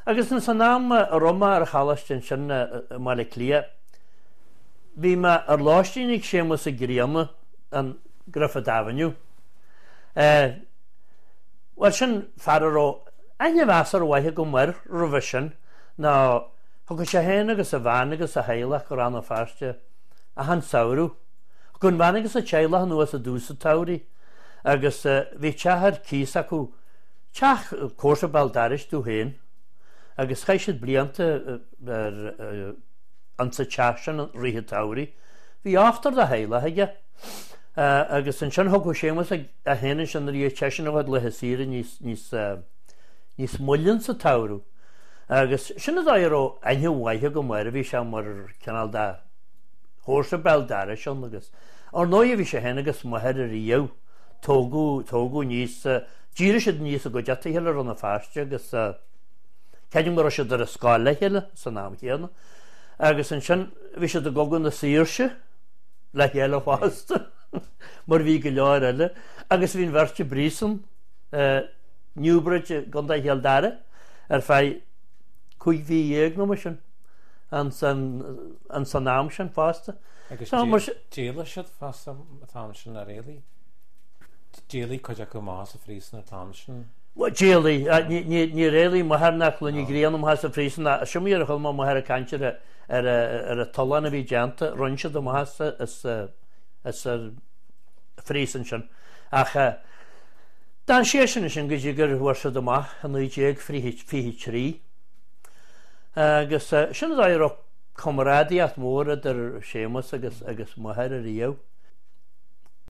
Agus ins an am a raibh mé ar an choláiste ansin i mBaile Átha Cliath, bhí mé ar lóistín ag Séamus Ó Grianna in Griffith Avenue. Bhuel, sin fear a raibh aithne mheasartha mhaith agam air roimhe sin, nó thiocfadh sé féin agus a bhean agus a theaghlach go Rann na Feirste achan samhradh. Thiocfadh an bhean agus a teaghlach anuas i dtús an tsamhraidh agus bhí teach ar cíos acu, teach comharsa béal dorais dóibh féin, agus chaith siad blianta ar insa teach sin i rith an tsamhraidh. Bhí ochtar de theaghlach aige agus ansin thiocfadh Séamus é féin ansin nuair a bhíodh seisean a chuid laetha saoire níos, níos, níos moille insa tsamhradh. Agus sin an dóigh a raibh aithne mhaith agam air, bhí sé mar cineál de chomharsa béal dorais ann agus ar ndóigh bhí sé féin agus m'athair ariamh, tógadh, tógadh aníos, d'éirigh siad aníos i gcuideachta a chéile i Rann na Feirste agus creidim go raibh siad ar an scoil le chéile san am chéanna. Agus ansin bhí siad i gCogadh na Saoirse le chéile fosta mar bhí go leor eile agus bhí an bheirt i bpríosún Newbridge i gContae Chill Dara ar feadh 15 mhí nó mar sin an san am sin fosta. Agus d'éalaigh siad fosta an t-am sin ar éalaigh? D'éalaigh cuid acu amach as an phríosún an t-am sin? D'éalaigh. Níor éalaigh m'athair ná Clann Uí Ghrianna amach as an phríosún. Sin mar a chuala mé m'athair ag caint ar ar an tollán a bhí déanta, rinne siad amach as as an phríosún sin. Ach d'fhan seisean ansin go dtí gur fuair siad amach i 1923. Agus sin an dóigh a raibh comrádaíocht mhór idir Séamus agus agus m'athair ariamh.